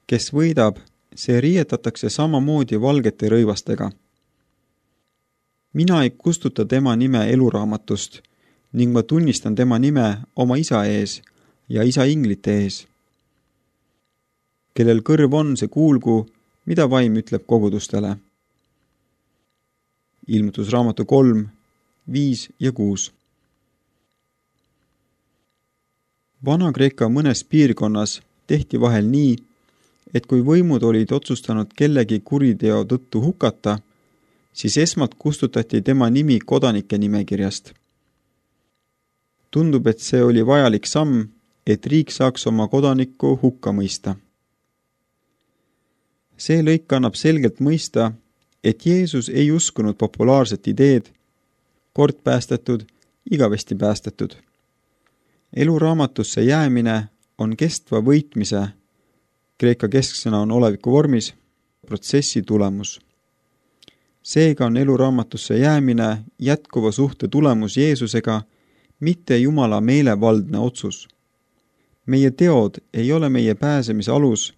Kes võidab, see riietatakse samamoodi valgete rõivastega. Mina ei kustuta tema nime eluraamatust ning ma tunnistan tema nime oma isa ees ja isa inglite ees. Kellel kõrv on, see kuulgu, mida vaim ütleb kogudustele. Ilmutusraamatu 3, 5 ja 6. Vana-Kreeka mõnes piirkonnas tehti vahel nii, et kui võimud olid otsustanud kellegi kuriteo tõttu hukata, siis esmalt kustutati tema nimi kodanike nimekirjast. Tundub, et see oli vajalik samm, et riik saaks oma kodanikku hukka mõista. See lõik annab selgelt mõista, et Jeesus ei uskunud populaarset ideed, kord päästetud, igavesti päästetud. Eluraamatusse jäämine on kestva võitmise, kreeka kesksõna on oleviku vormis, protsessi tulemus. Seega on eluraamatusse jäämine jätkuva suhte tulemus Jeesusega, mitte Jumala meelevaldne otsus. Meie teod ei ole meie pääsemise alus,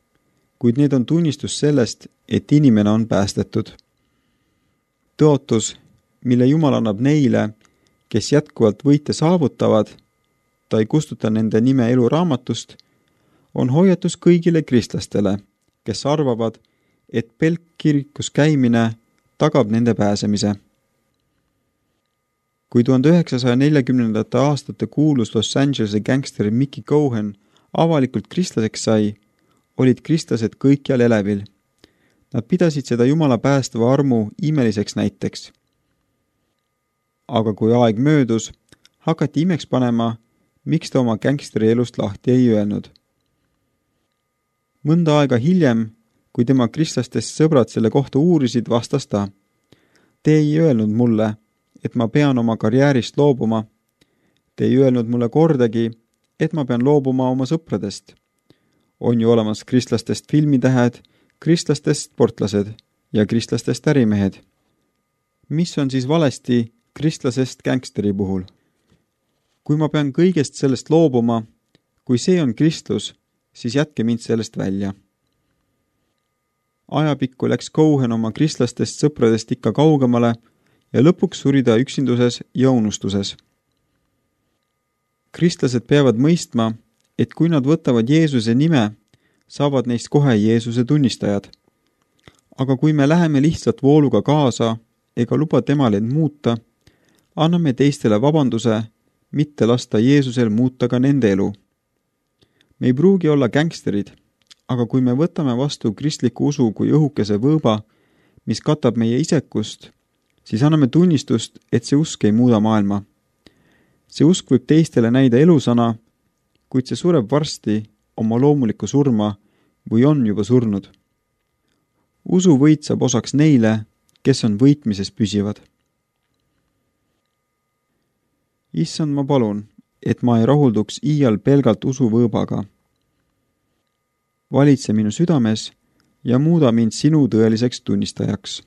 kuid need on tunnistus sellest, et inimene on päästetud. Tõotus, mille Jumal annab neile, kes jätkuvalt võite saavutavad, ta ei kustuta nende nime eluraamatust, on hoiatus kõigile kristlastele, kes arvavad, et pelk kirikus käimine tagab nende pääsemise. Kui 1940. aastate kuulus Los Angelese gängster Mickey Cohen avalikult kristlaseks sai, olid kristlased kõikjal elevil. Nad pidasid seda Jumala päästava armu imeliseks näiteks. Aga kui aeg möödus, hakati imeks panema, miks ta oma gängsteri elust lahti ei öelnud. Mõnda aega hiljem, kui tema kristlastest sõbrad selle kohta uurisid, vastas ta: Te ei öelnud mulle, et ma pean oma karjäärist loobuma. Te ei öelnud mulle kordagi, et ma pean loobuma oma sõpradest. On ju olemas kristlastest filmitähed, kristlastest sportlased ja kristlastest ärimehed. Mis on siis valesti kristlasest gängsteri puhul? Kui ma pean kõigest sellest loobuma, kui see on kristlus, siis jätke mind sellest välja. Ajapikku läks Cohen oma kristlastest sõpradest ikka kaugemale ja lõpuks suri ta üksinduses ja unustuses. Kristlased peavad mõistma, et kui nad võtavad Jeesuse nime, saavad neist kohe Jeesuse tunnistajad. Aga kui me läheme lihtsalt vooluga kaasa ega luba temal end muuta, anname teistele vabanduse, mitte lasta Jeesusel muuta ka nende elu. Me ei pruugi olla gängsterid, aga kui me võtame vastu kristliku usu kui õhukese võõba, mis katab meie isekust, siis anname tunnistust, et see usk ei muuda maailma. See usk võib teistele näida elusana, kuid see sureb varsti oma loomulikku surma või on juba surnud. Usu võit saab osaks neile, kes on võitmises püsivad. Issand, ma palun, et ma ei rahulduks iial pelgalt usuvõõbaga. Valitse minu südames ja muuda mind sinu tõeliseks tunnistajaks.